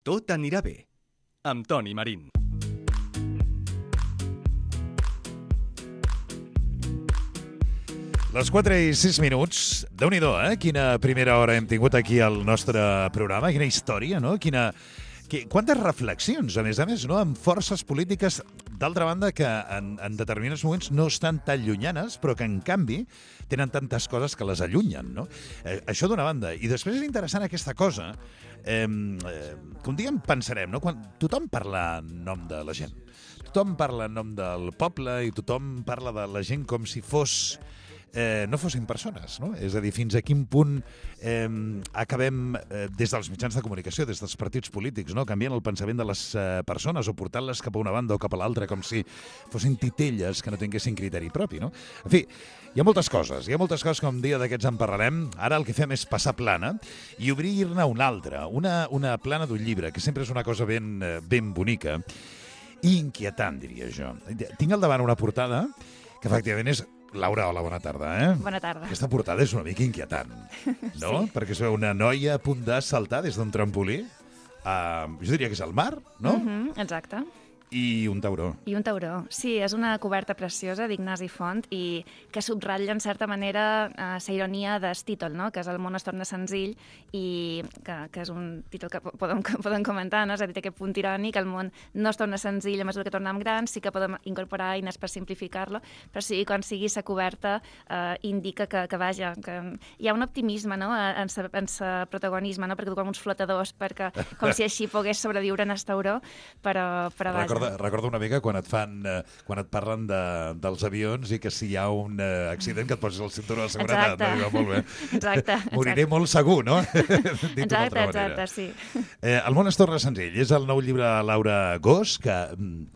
Tot anirà bé, amb Toni Marín. Les 4:06, Déu-n'hi-do, quina primera hora hem tingut aquí al nostre programa, quina història, no? Quantes reflexions, a més, no? Amb forces polítiques, d'altra banda, que en determinats moments no estan tan llunyanes, però que, en canvi, tenen tantes coses que les allunyen, no? Això d'una banda. I després és interessant aquesta cosa, que un dia en pensarem, no? Quan tothom parla en nom de la gent, tothom parla en nom del poble i tothom parla de la gent com si no fossin persones, no? És a dir, fins a quin punt acabem, des dels mitjans de comunicació, des dels partits polítics, no? Canviant el pensament de les persones o portant-les cap a una banda o cap a l'altra, com si fossin titelles que no tinguessin criteri propi, no? En fi, hi ha moltes coses que un dia d'aquests en parlarem. Ara el que fem és passar plana i obrir-ne una altra, una plana d'un llibre, que sempre és una cosa ben bonica i inquietant, diria jo. Tinc al davant una portada que efectivament és... Laura, hola, bona tarda, Bona tarda. Aquesta portada és una mica inquietant, no? Sí. Perquè es veu una noia a punt de saltar des d'un trampolí, jo diria que és al mar, no? Exacte. I un tauró. I un tauró. Sí, és una coberta preciosa d'Ignasi Font i que subratlla, en certa manera, la ironia del títol, no? Que és El món es torna senzill i que és un títol que podem comentar, no? És a dir, té aquest punt irònic, el món no es torna senzill a mesura que tornem grans, sí que podem incorporar eines per simplificar-lo, però sí, quan sigui la coberta indica que vaja, que hi ha un optimisme, no? En sa protagonisme, no? Perquè du com uns flotadors, perquè com si així pogués sobreviure en el tauró, però vaja. Recordo una mica quan et parlen dels avions i que si hi ha un accident que et posis el cinturó de seguretat. Exacte. No? Molt bé. Exacte. Moriré molt segur, no? Exacte, sí. El món es torna senzill. És el nou llibre de Laura Gos, que,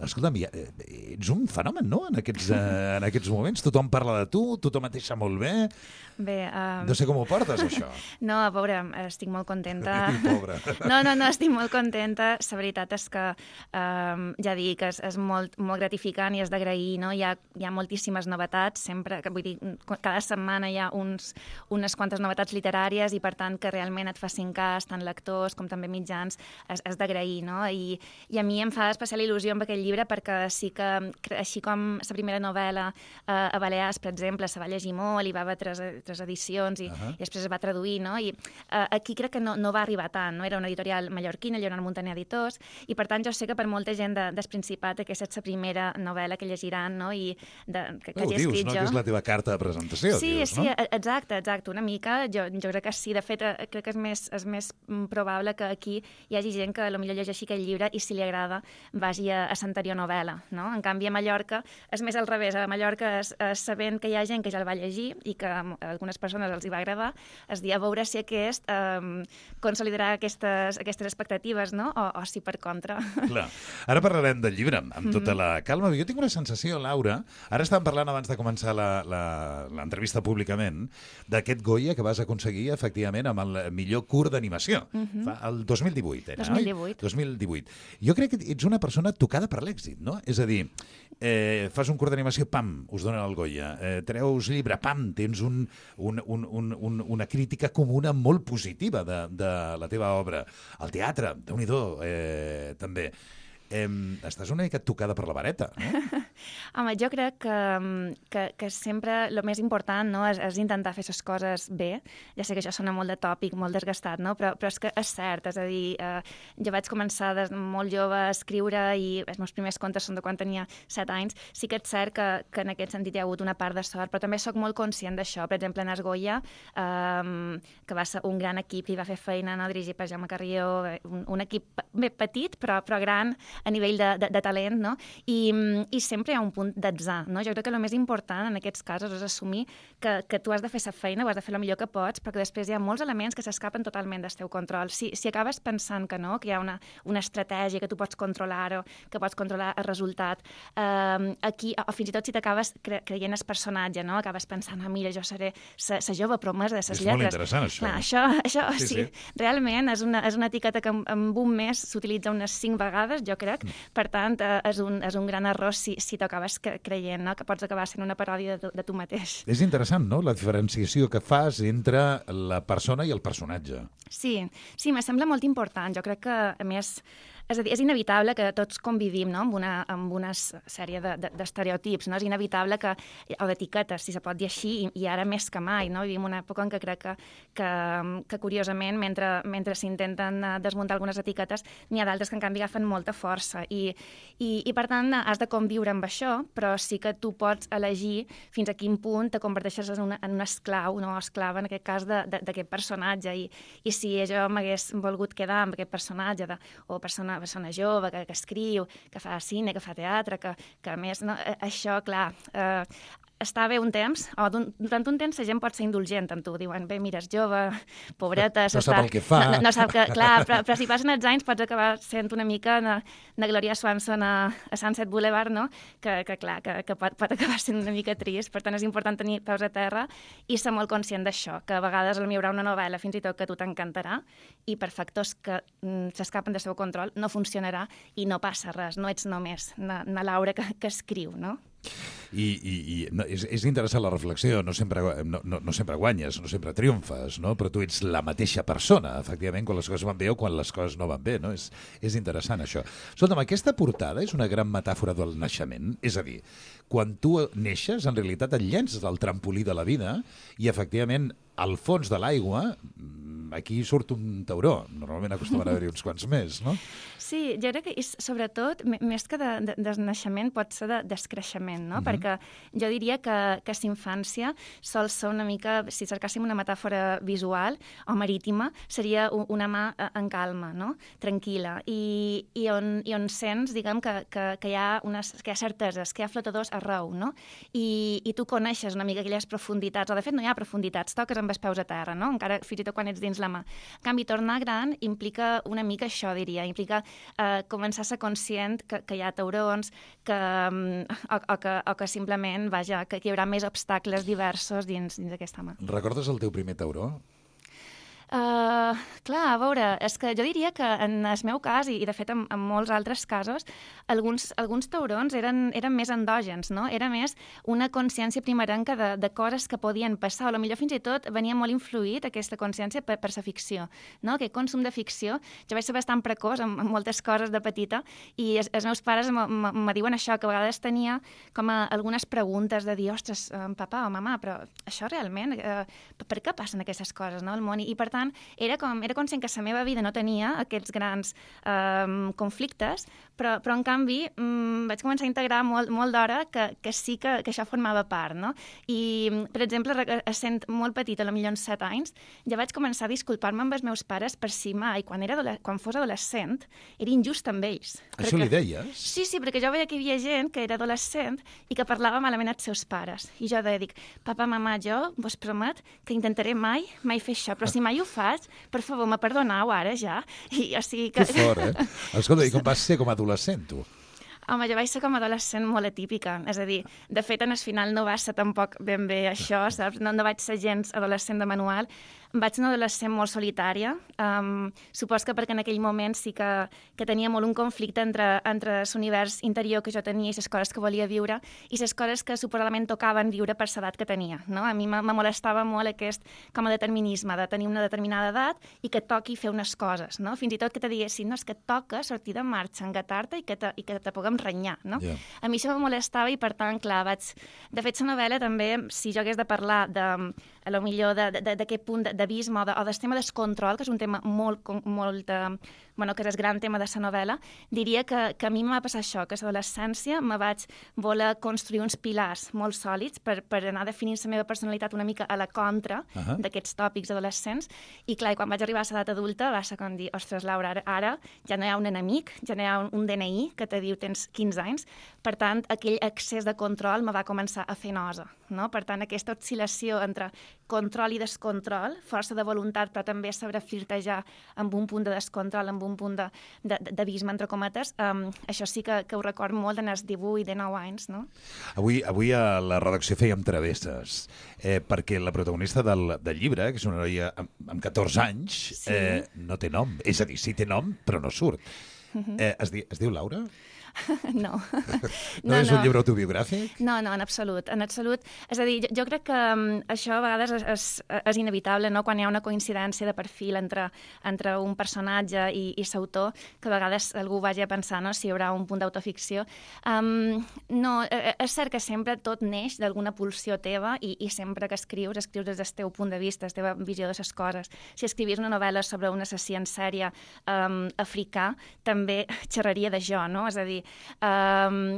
escolta'm, ets un fenomen, no? En aquests moments. Tothom parla de tu, tothom et deixa molt bé. Bé, no sé com ho portes, això. No, pobre, estic molt contenta. Pobre. No, estic molt contenta. La veritat és que, ja dic, és molt gratificant i és d'agrair, no? Hi ha moltíssimes novetats, sempre, vull dir, cada setmana hi ha unes quantes novetats literàries i, per tant, que realment et facin cas, tant lectors com també mitjans, és d'agrair, no? I a mi em fa especial il·lusió amb aquest llibre perquè sí que, així com la primera novel·la a Balears, per exemple, se va llegir molt i va haver tres edicions i després es va traduir, no? I aquí crec que no va arribar tant, no? Era una editorial mallorquina, Lleonard Montaner Editors, i per tant jo sé que per molta gent del Principat aquesta és la primera novel·la que llegiran, no? I que hagi escrit jo. No? Que és la teva carta de presentació, sí, dius, no? Sí, exacte, una mica. Jo crec que sí, de fet, crec que és més probable que aquí hi hagi gent que potser llegeixi aquest llibre i si li agrada vagi a l'anterior novel·la, no? En canvi, a Mallorca és més al revés. A Mallorca, sabent que hi ha gent que ja el va llegir i que a algunes persones els hi va agradar, es dir a veure si aquest consolidarà aquestes expectatives, no? O si per contra. Clar. Ara parlarem del llibre amb tota la calma. Jo tinc una sensació, Laura, ara estàvem parlant abans de començar l'entrevista públicament, d'aquest Goya que vas aconseguir, efectivament, amb el millor curt d'animació. El 2018 era, 2018. 2018. Jo crec que ets una persona tocada per l'èxit, no? És a dir, fas un curt d'animació, pam, us donen el Goya. Treus llibre, pam, tens una crítica comuna molt positiva de la teva obra. El teatre, Déu-n'hi-do, també. Estàs una mica tocada per la vareta, no? Home, jo crec que sempre el més important, no, és intentar fer les coses bé. Ja sé que això sona molt de tòpic, molt desgastat, no? Però és que és cert, és a dir, jo vaig començar des de molt jove a escriure i els meus primers contes són de quan tenia 7 anys. Sí que és cert que en aquest sentit hi ha hagut una part de sort, però també sóc molt conscient d'això. Per exemple, en Esgoia, que va ser un gran equip que hi va fer feina, no? Dirigit per Jaume Carrió, un equip bé petit però gran a nivell de talent, no? I sempre hi ha un punt d'atzar, no? Jo crec que el més important en aquests casos és assumir que tu has de fer la feina, ho has de fer el millor que pots, perquè després hi ha molts elements que s'escapen totalment del teu control. Si acabes pensant que no, que hi ha una estratègia que tu pots controlar o que pots controlar el resultat, aquí, o fins i tot si t'acabes creient el personatge, no? Acabes pensant, mira, jo seré la jove promesa de les lletres. És molt interessant, això. Clar, això sí. Realment és una etiqueta que en un mes s'utilitza unes 5 vegades, jo crec. Per tant, és un gran error si si t'ho acabes creient, no? Que pots acabar sent una paròdia de tu mateix. És interessant, no?, la diferenciació que fas entre la persona i el personatge. Sí, me sembla molt important. Jo crec que, a més, és a dir, és inevitable que tots convivim, no?, amb una sèrie d'estereotips, no? És inevitable o d'etiquetes, si se pot dir així, i ara més que mai, no? Vivim una època en què crec que curiosament, mentre s'intenten desmuntar algunes etiquetes, n'hi ha d'altres que, en canvi, agafen molta força. I per tant, has de conviure amb això, però sí que tu pots elegir fins a quin punt te converteixes en un esclau, no esclava, en aquest cas, d'aquest personatge. I si jo m'hagués volgut quedar amb aquest personatge o persona jove, que escriu, que fa cine, que fa teatre, que a més, no, això, clar, està bé un temps, o durant un temps la gent pot ser indulgent amb tu, diuen, bé, mira, és jove, pobreta... No sap el que fa. No sap que... Clar, però si passen els anys pots acabar sent una mica de Gloria Swanson a Sunset Boulevard, no? Que clar, que pot acabar sent una mica trist. Per tant, és important tenir peus a terra i ser molt conscient d'això, que a vegades hi haurà una novel·la fins i tot que a tu t'encantarà i per factors que s'escapen del seu control no funcionarà i no passa res, no ets només na Laura que escriu, no? I és interessant la reflexió, no sempre guanyes, no sempre triomfes, no? Però tu ets la mateixa persona, efectivament, quan les coses van bé o quan les coses no van bé, no? És interessant, això. Escolta'm, aquesta portada és una gran metàfora del naixement, és a dir, quan tu neixes, en realitat et llences del trampolí de la vida i, efectivament, al fons de l'aigua, aquí surt un tauró. Normalment acostumen a haver-hi uns quants més, no? Sí, jo crec que és, sobretot, més que de naixement, pot ser de descreixement, no? Perquè jo diria que s'infància sol ser una mica, si cercàssim una metàfora visual o marítima, seria una mà en calma, no? Tranquil·la, i on sents, diguem, que hi ha certeses, que hi ha flotadors arreu, no? I tu coneixes una mica aquelles profunditats, o de fet no hi ha profunditats, toques amb els peus a terra, no? Encara fins i tot quan ets dins la mà. En canvi, tornar gran implica una mica això, diria, implica començar a ser conscient que hi ha taurons, o que simplement, vaja, que hi haurà més obstacles diversos dins aquesta mà. Recordes el teu primer tauró? Clar, a veure, és que jo diria que en el meu cas, i de fet en molts altres casos, alguns taurons eren més endògens, no? Era més una consciència primerenca de coses que podien passar, o potser fins i tot venia molt influït aquesta consciència per la ficció, no? Aquest consum de ficció. Jo vaig ser bastant precoç amb moltes coses de petita i els meus pares me diuen això, que a vegades tenia com algunes preguntes de dir, ostres, papà o mamà, però això realment, per què passen aquestes coses, no, al món? I per tant, era conscient que la meva vida no tenia aquests grans conflictes, però en canvi vaig començar a integrar molt d'hora que sí que això formava part, no? I, per exemple, sent molt petita, potser amb 7 anys, ja vaig començar a disculpar-me amb els meus pares per si mai, quan fos adolescent, era injust amb ells. Això li deies? Sí, perquè jo veia que hi havia gent que era adolescent i que parlava malament als seus pares. I jo dic, papa, mamà, jo vos promet que intentaré mai fer això, però si mai ho faig, per favor, me perdoneu ara ja. I, o sigui que... Que fort, eh? Escolta, i com vas ser com a adolescent, tu? Home, jo vaig ser com a adolescent molt atípica. És a dir, de fet, en el final no va ser tampoc ben bé això, saps? No vaig ser gens adolescent de manual. Vaig ser una adolescent molt solitària. Supos que perquè en aquell moment sí que tenia molt un conflicte entre l'univers interior que jo tenia i les coses que volia viure i les coses que suposadament tocaven viure per l'edat que tenia. No? A mi me molestava molt aquest com a determinisme, de tenir una determinada edat i que toqui fer unes coses. No? Fins i tot que te diguessin, no, és que et toca sortir de marxa, engatar-te i que te puguem renyar. No? Yeah. A mi això me molestava i, per tant, clar, De fet, la novel·la també, si jo hagués de parlar d'aquest punt d'abisme o del tema del control, que és un tema que és el gran tema de la novel·la, diria que a mi m'ha passat això, que a l'adolescència me vaig voler construir uns pilars molt sòlids per anar definint la meva personalitat una mica a la contra d'aquests tòpics adolescents, i clar, quan vaig arribar a l'edat adulta va ser com dir, ostres, Laura, ara ja no hi ha un enemic, ja no hi ha un DNI que te diu tens 15 anys, per tant, aquell excés de control me va començar a fer nosa, no? Per tant, aquesta oscil·lació entre control i descontrol, força de voluntat, però també saber flirtejar amb un punt de descontrol, amb un punt d'abisme, entre cometes, això sí que ho record molt en els 18, 19 anys, no? Avui a la redacció fèiem travesses, perquè la protagonista del llibre, que és una noia amb 14 anys, no té nom. És a dir, sí té nom, però no surt. Es diu Laura? No. No és un llibre autobiogràfic? No, en absolut. És a dir, jo crec que això a vegades és inevitable, no? Quan hi ha una coincidència de perfil entre un personatge i l'autor, que a vegades algú vagi a pensar, no?, si hi haurà un punt d'autoficció. No, és cert que sempre tot neix d'alguna pulsió teva i sempre que escrius des del teu punt de vista, la teva visió de les coses. Si escrivies una novel·la sobre un assassí en sèrie africà, també xerraria de jo, no? És a dir,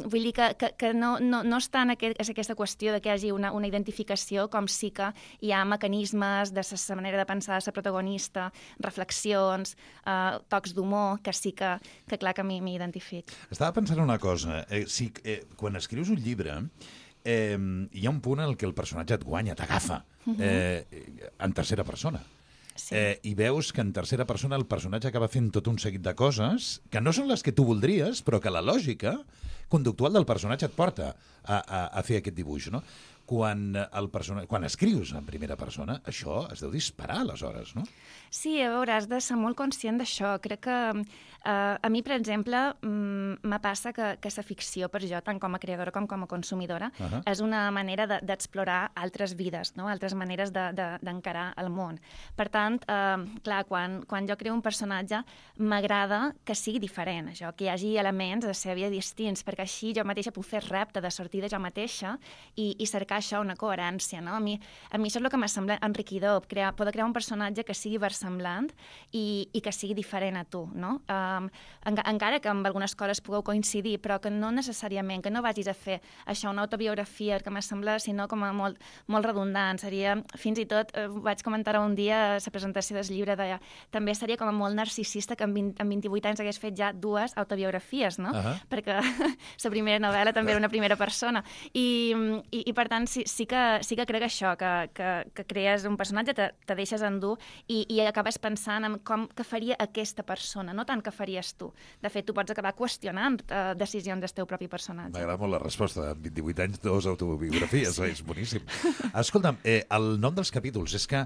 vull dir que no està en aquesta qüestió de que hi hagi una identificació, com sí que hi ha mecanismes de la manera de pensar de la protagonista, reflexions, tocs d'humor, que sí que clar que m'hi identifico. Estava pensant una cosa. Quan escrius un llibre, hi ha un punt en què el personatge et guanya, t'agafa, en tercera persona. Sí. I veus que en tercera persona el personatge acaba fent tot un seguit de coses que no són les que tu voldries, però que la lògica conductual del personatge et porta a fer aquest dibuix, no? Quan escrius en primera persona, això es deu disparar aleshores, no? Sí, a veure, has de ser molt conscient d'això. Crec que a mi, per exemple, me passa que la ficció per jo, tant com a creadora com a consumidora, és una manera d'explorar altres vides, no? Altres maneres d'encarar el món. Per tant, clar, quan jo creo un personatge, m'agrada que sigui diferent, això, que hi hagi elements de la seva vida distints, perquè així jo mateixa puc fer repte de sortir de jo mateixa i cercar això, una coherència, no? A mi això és el que m'ha semblat enriquidor, poder crear un personatge que sigui versemblant i que sigui diferent a tu, no? Encara que amb algunes coses pugueu coincidir, però que no necessàriament, que no vagis a fer això, una autobiografia, que m'ha semblat, sinó com a molt redundant. Seria, fins i tot, vaig comentar un dia a la presentació del llibre, també seria com a molt narcisista que amb 28 anys hagués fet ja 2 autobiografies, no? Perquè la primera novel·la també era una primera persona. I per tant, sí que crec això, que crees un personatge, te deixes endur i acabes pensant en com que faria aquesta persona, no tant que faries tu. De fet, tu pots acabar qüestionant decisions del teu propi personatge. M'agrada molt la resposta. Amb 28 anys, 2 autobiografies, és boníssim. Escolta'm, el nom dels capítols és que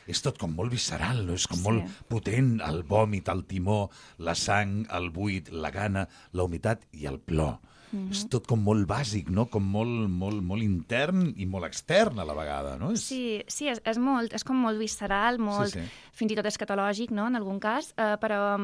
és tot com molt visceral, no? És com molt potent, el vòmit, el timó, la sang, el buit, la gana, la humitat i el plor. És tot com molt bàsic, no? Com molt intern i molt extern a la vegada, no? Sí, és com molt visceral, fins i tot escatològic, no?, en algun cas, però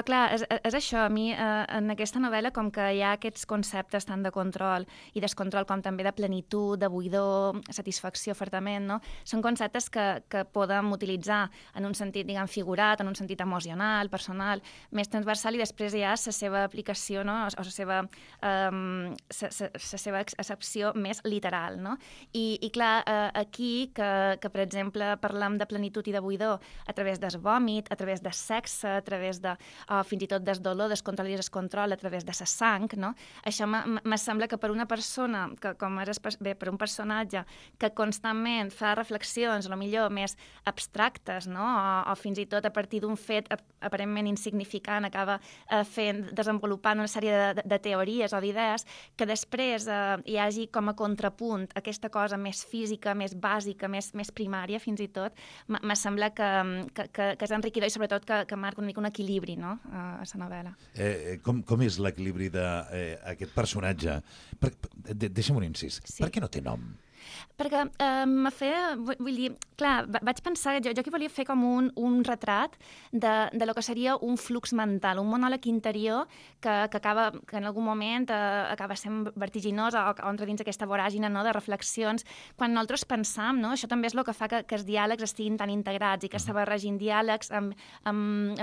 clar, és això. A mi, en aquesta novel·la, com que hi ha aquests conceptes tant de control i descontrol com també de plenitud, de buidor, satisfacció, ofertament, no? Són conceptes que podem utilitzar en un sentit, diguem, figurat, en un sentit emocional, personal, més transversal, i després hi ha la seva aplicació, no?, o la seva accepció més literal, no? I clar, aquí, que per exemple parlem de plenitud i de buidor a través del vòmit, a través del sexe, a través de, fins i tot del dolor, del control i descontrol, a través de la sang, no? Això me sembla que per una persona, per un personatge que constantment fa reflexions, millor més abstractes, no? O fins i tot a partir d'un fet aparentment insignificant acaba desenvolupant una sèrie de teories o d'idees, que després hi hagi com a contrapunt aquesta cosa més física, més bàsica, més primària, fins i tot, me sembla que és enriquidor i sobretot que marca una mica un equilibri, no?, a la novel·la. Com és l'equilibri d'aquest personatge? Deixa'm un incís. Per què no té nom? Perquè vull dir, clar, vaig pensar, jo que volia fer com un retrat de lo que seria un flux mental, un monòleg interior que en algun moment acaba sent vertiginós o entra dins aquesta voràgina, no?, de reflexions. Quan nosaltres pensam, no?, això també és el que fa que els diàlegs estiguin tan integrats i que se barregin diàlegs amb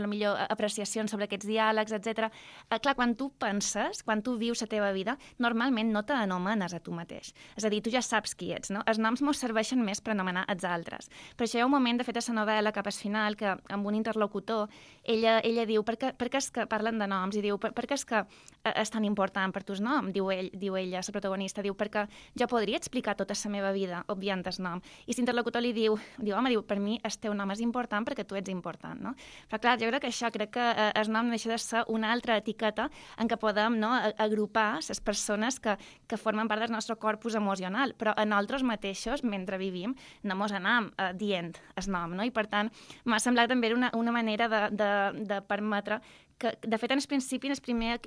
millor apreciacions sobre aquests diàlegs, etc. Clar, quan tu penses, quan tu vius la teva vida, normalment no t'anomenes a tu mateix. És a dir, tu ja saps qui ets, no? Els noms mos serveixen més per anomenar els altres. Però això hi ha un moment, de fet, a la novel·la, cap al final, que amb un interlocutor, ella diu, per què és que parlen de noms? I diu, per què és que és tan important per tu el nom? Diu ella, la protagonista, diu, perquè jo podria explicar tota la meva vida obviant el nom. I l'interlocutor li diu, home, per mi el teu nom és important perquè tu ets important, no? Però clar, jo crec que el nom deixa de ser una altra etiqueta en què podem, no, agrupar les persones que formen part del nostre corpus emocional, però a nosaltres mateixos, mentre vivim, no mos anam dient el nom, no? I per tant, m'ha semblat també una manera de permetre que de fet, en el principi, en el primer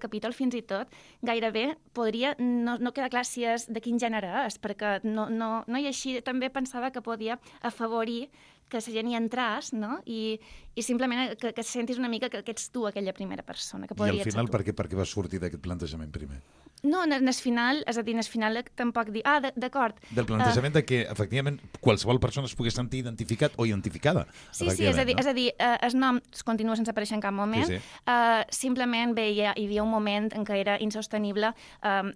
capítol, fins i tot, gairebé podria no quedar clar si és de quin gènere és, perquè no i així també pensava que podia afavorir que la gent hi entràs, no? I simplement que sentis una mica que ets tu aquella primera persona. Que I al final, per què vas sortir d'aquest plantejament primer? No, en el final, és a dir, en el final tampoc dir, d'acord. Del plantejament de que, efectivament, qualsevol persona es pogués sentir identificat o identificada. Sí, és a dir, el nom continua sense aparèixer en cap moment. Sí. Simplement hi havia un moment en què era insostenible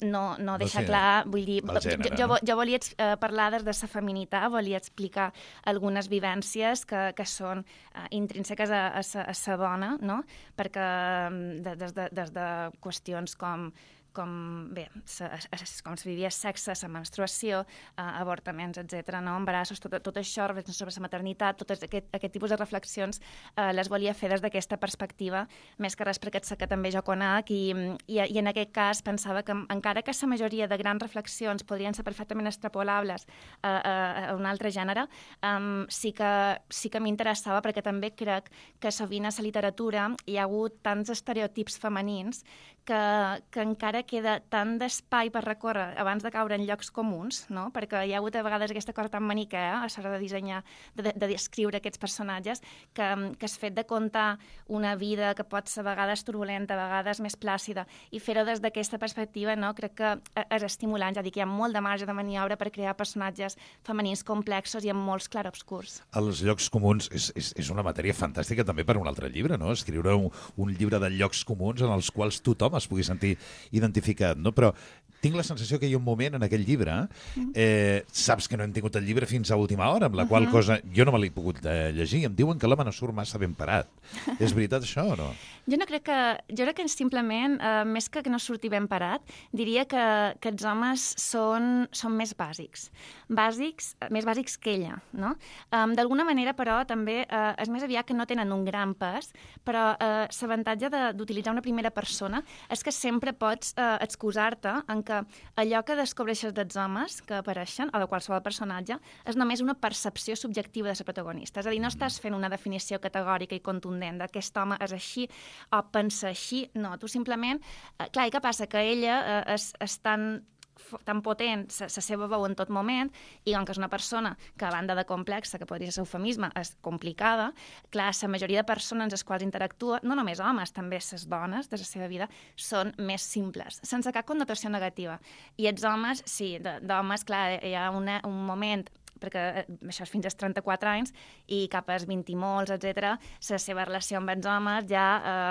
no deixar clar, vull dir, jo volia parlar des de la feminitat, volia explicar algunes vivències que són intrínseques a la dona, no? Perquè des de qüestions com com es vivia sexe, la menstruació, avortaments, etc., no? Embarassos, tot això, reflexions sobre la maternitat, tot aquest tipus de reflexions les volia fer des d'aquesta perspectiva, més que res perquè sé que també jo conec i en aquest cas pensava que encara que la majoria de grans reflexions podrien ser perfectament extrapolables a un altre gènere, sí que m'interessava perquè també crec que sovint a la literatura hi ha hagut tants estereotips femenins que encara queda tant d'espai per recórrer abans de caure en llocs comuns, no? Perquè hi ha hagut a vegades aquesta cosa tan maniquea a l'hora de dissenyar, de descriure aquests personatges, que el fet de contar una vida que pot ser a vegades turbulenta, a vegades més plàcida, i fer-ho des d'aquesta perspectiva, no? Crec que és estimulant, ja dic, hi ha molt de marge de maniobra per crear personatges femenins complexos i amb molts clarobscurs. Els llocs comuns és una matèria fantàstica també per a un altre llibre, no? Escriure un llibre de llocs comuns en els quals tothom es pugui sentir identificat, no? Però tinc la sensació que hi ha un moment en aquell llibre, saps que no hem tingut el llibre fins a última hora, amb la qual cosa jo no me l'he pogut llegir, em diuen que l'home no surt massa ben parat. És veritat això o no? Jo crec que simplement, més que no surti ben parat, diria que els homes són més bàsics. Més bàsics que ella, no? D'alguna manera, però, també és més aviat que no tenen un gran pes, però l'avantatge d'utilitzar una primera persona és que sempre pots excusar-te en que allò que descobreixes dels homes que apareixen, o de qualsevol personatge, és només una percepció subjectiva de la protagonista. És a dir, no estàs fent una definició categòrica i contundent d'aquest home és així o pensa així. No, tu simplement... Clar, i què passa? Que ella és tan potent la seva veu en tot moment, i com que és una persona que, a banda de complexa, que podria ser eufemisme, és complicada, clar, la majoria de persones amb les quals interactua, no només homes, també les dones de la seva vida, són més simples, sense cap connotació negativa. I els homes, sí, d'homes, clar, hi ha un moment, perquè això és fins als 34 anys, i cap als 20 i molts, etc., la seva relació amb els homes ja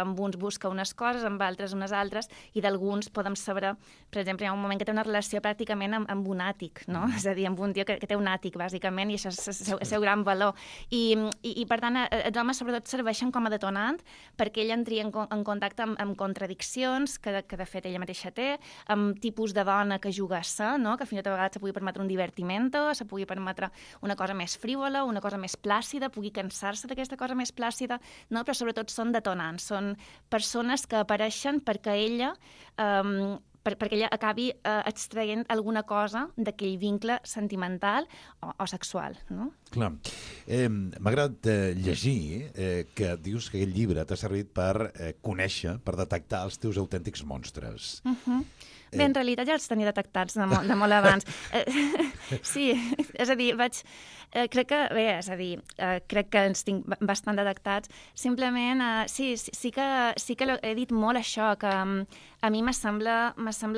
amb uns busca unes coses, amb altres unes altres, i d'alguns podem saber, per exemple, hi ha un moment que té una relació pràcticament amb un àtic, no? És a dir, amb un tio que té un àtic, bàsicament, i això és el seu gran valor. I per tant, els homes sobretot serveixen com a detonant perquè ella entri en contacte amb contradiccions que de fet ella mateixa té, amb tipus de dona que juga a ser, no? Que fins i tot a vegades se pugui permetre un divertimento, se pugui permetre una cosa més frívola, una cosa més plàcida, pugui cansar-se d'aquesta cosa més plàcida, no? Però sobretot són detonants, són persones que apareixen perquè ella acabi extraient alguna cosa d'aquell vincle sentimental o sexual, no? Clar. M'ha agradat llegir que dius que aquest llibre t'ha servit per conèixer, per detectar els teus autèntics monstres. Bé, en realitat ja els tenia detectats de molt abans. Sí, és a dir, crec que ens tinc bastant detectats. Simplement, sí que he dit molt això, que a mi me sembla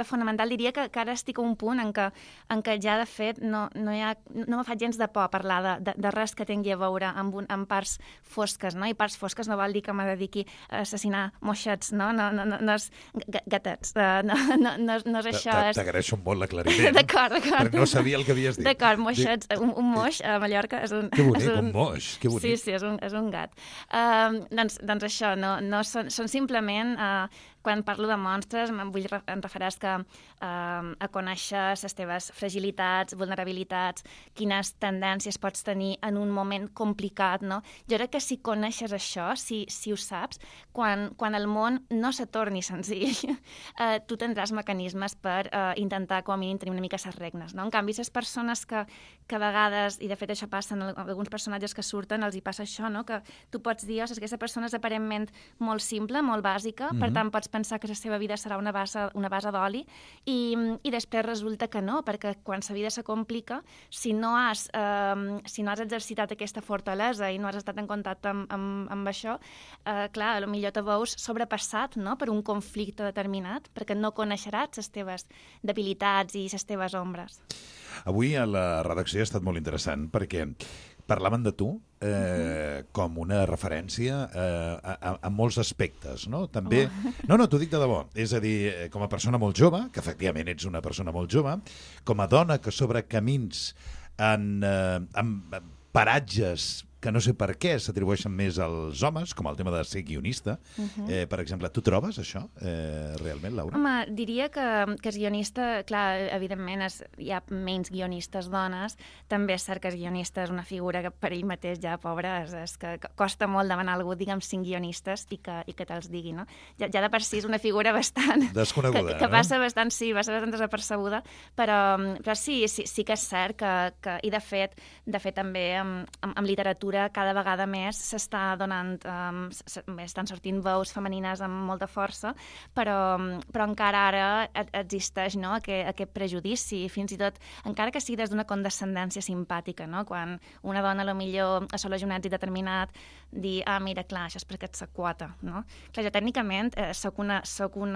fonamental. Diria que ara estic a un punt en què ja, de fet, no me fa gens de por parlar de res que tingui a veure amb parts fosques, no? I parts fosques no vol dir que me dediqui a assassinar moixets, no? No és gatets, no és això. T'agraeixo molt l'aclariment. D'acord. Perquè no sabia el que havies dit. D'acord, moixets. Un moix a Mallorca és un... Que bonic, un moix, que bonic. Sí, és un gat. Doncs això, no són simplement quan parlo de monstres em refereix a conèixer les teves fragilitats, vulnerabilitats, quines tendències pots tenir en un moment complicat, no? Jo crec que si coneixes això, si ho saps, quan el món no se torni senzill, tu tindràs mecanismes per intentar, com a mínim, tenir una mica les regnes, no? En canvi, les persones que a vegades, i de fet això passa en alguns personatges que surten, els hi passa això, no? Que tu pots dir, ostres, aquesta persona és aparentment molt simple, molt bàsica, per tant pots pensar que la seva vida serà una base d'oli, i després resulta que no, perquè quan la vida se complica, si no has exercitat aquesta fortalesa i no has estat en contacte amb això, clar, potser te veus sobrepassat, no?, per un conflicte determinat, perquè no coneixeràs les teves debilitats i les teves ombres. Avui a la redacció ha estat molt interessant perquè parlaven de tu com una referència a molts aspectes, no? També... No, t'ho dic de debò. És a dir, com a persona molt jove, que efectivament ets una persona molt jove, com a dona que sobre camins en paratges que no sé per què s'atribueixen més als homes, com el tema de ser guionista. Per exemple, tu trobes això realment, Laura? Home, diria que és guionista, clar, evidentment hi ha menys guionistes dones, també és cert que és guionista és una figura que per ell mateix ja, pobra, és que costa molt demanar a algú, diguem, 5 guionistes i que te'ls digui, no? Ja de per si és una figura bastant... desconeguda, que passa bastant, sí, va ser bastant desapercebuda, però sí que és cert que i de fet també amb literatura cada vegada més s'està donant, estan sortint veus femenines amb molta força, però encara ara existeix, no?, aquest prejudici, fins i tot, encara que sigui des d'una condescendència simpàtica, no?, quan una dona potser assoleix un èxit determinat, dir, mira, clar, això és perquè ets la quota, no? Clar, jo tècnicament soc un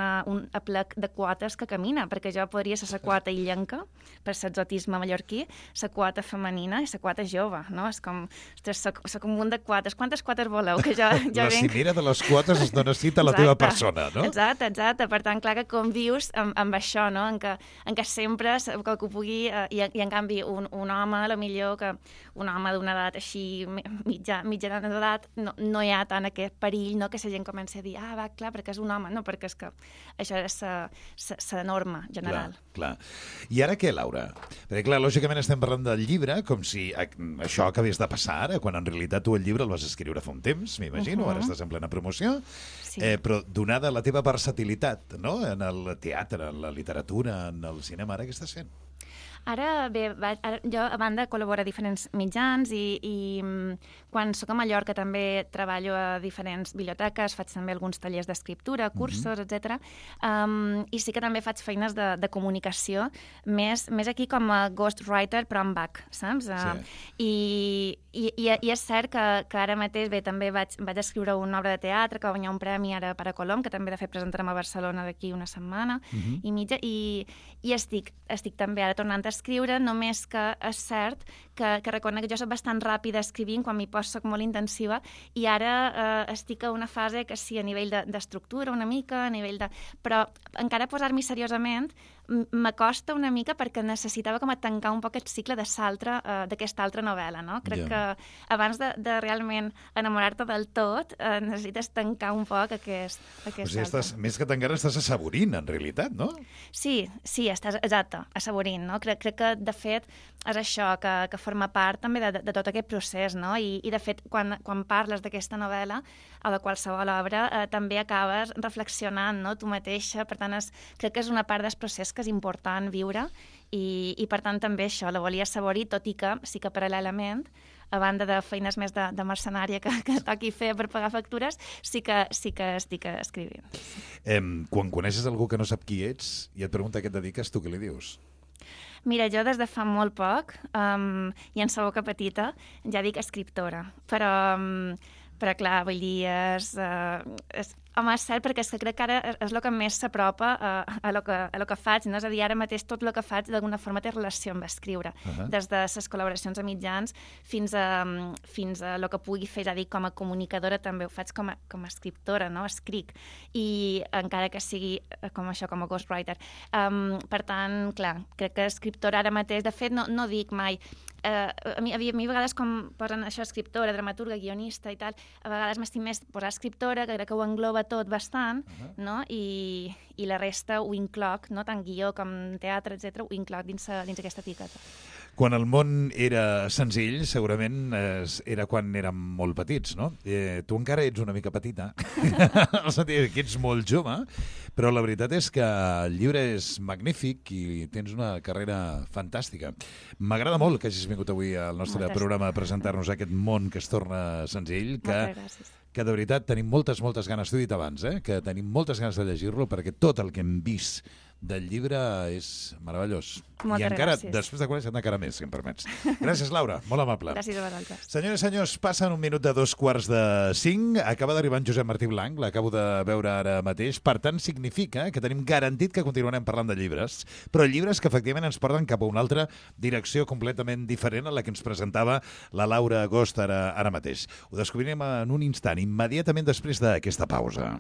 aplec de quotes que camina, perquè jo podria ser la quota illenca, per l'exotisme mallorquí, la quota femenina i la quota jove, no? És com, ostres, soc un munt de quotes. Quantes quotes voleu? Que jo la cimera de les quotes es dona cita a la teva persona, no? Exacte. Per tant, clar que convius amb això, no? En què sempre que ho pugui... I en canvi, un home, potser que un home d'una edat així, mitjana d'edat, no hi ha tant aquest perill, no?, que la gent comenci a dir, va, clar, perquè és un home. No, perquè és que això és la norma general. Clar. I ara què, Laura? Perquè, clar, lògicament estem parlant del llibre com si això acabés de passar ara, quan en realitat tu el llibre el vas escriure fa un temps, m'imagino, ara estàs en plena promoció, sí. Però donada la teva versatilitat, no?, en el teatre, en la literatura, en el cinema, ara què estàs fent? Ara, bé, jo a banda col·laboro a diferents mitjans i quan soc a Mallorca també treballo a diferents biblioteques, faig també alguns tallers d'escriptura, cursos, etc. I sí que també faig feines de comunicació, més aquí com a ghostwriter, però en back, saps? Sí. I és cert que ara mateix, bé, també vaig escriure una obra de teatre que va guanyar un premi ara per a Colom, que també de fet presentarem a Barcelona d'aquí una setmana i mitja, i estic també ara tornant a escriure, només que és cert que reconec que jo soc bastant ràpida escrivint, quan m'hi poso soc molt intensiva, i ara estic a una fase que sí, a nivell d'estructura una mica, a nivell de... Però encara posar-m'hi seriosament m'acosta una mica perquè necessitava com a tancar un poc aquest cicle d'aquesta altra novel·la, no? Crec que abans de realment enamorar-te del tot necessites tancar un poc aquest altre. Més que tancar, estàs assaborint, en realitat, no? Sí, estàs, exacte, assaborint, no? Crec que, de fet, és això, que forma part també de tot aquest procés, no? I de fet, quan parles d'aquesta novel·la o de qualsevol obra, també acabes reflexionant, no?, tu mateixa. Per tant, crec que és una part del procés que és important viure i per tant, també això, la volia assaborir, tot i que sí que paral·lelament, a banda de feines més de mercenària que toqui fer per pagar factures, sí que estic escrivint. Quan coneixes algú que no sap qui ets i et pregunta què et dediques, tu què li dius? Mira, jo des de fa molt poc, i en sa boca petita, ja dic escriptora, però clar, vull dir, home, és cert, perquè és que crec que ara és el que més s'apropa a lo que faig, no? És a dir, ara mateix tot el que faig d'alguna forma té relació amb escriure, des de les col·laboracions a mitjans fins a el que pugui fer, ja dic, com a comunicadora també ho faig com a escriptora, no? Escric, i encara que sigui com això, com a ghostwriter. Per tant, clar, crec que escriptora ara mateix, de fet, no dic mai... A mi a vegades com posen això, escriptora, dramaturga, guionista i tal, a vegades m'estic més posar escriptora, que crec que ho engloba tot bastant, no? I la resta ho incloc, no? Tant guió com teatre, etc., ho incloc dins aquesta etiqueta. Quan el món era senzill, segurament era quan érem molt petits, no? Tu encara ets una mica petita, en el sentit que ets molt jove, però la veritat és que el llibre és magnífic i tens una carrera fantàstica. M'agrada molt que hagis vingut avui al nostre programa a presentar-nos aquest món que es torna senzill, que de veritat tenim moltes ganes, t'ho he dit abans, que tenim moltes ganes de llegir-lo perquè tot el que hem vist del llibre és meravellós. Moltes I encara, gràcies. després de conèixer encara més, si em permets. Gràcies, Laura. Molt amable. Gràcies a vosaltres. Senyores i senyors, passen 1 minut de 2:45. Acaba d'arribar en Josep Martí Blanc, l'acabo de veure ara mateix. Per tant, significa que tenim garantit que continuarem parlant de llibres, però llibres que efectivament ens porten cap a una altra direcció completament diferent a la que ens presentava la Laura Agost ara mateix. Ho descobrirem en un instant, immediatament després d'aquesta pausa.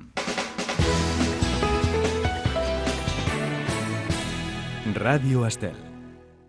Ràdio Estel.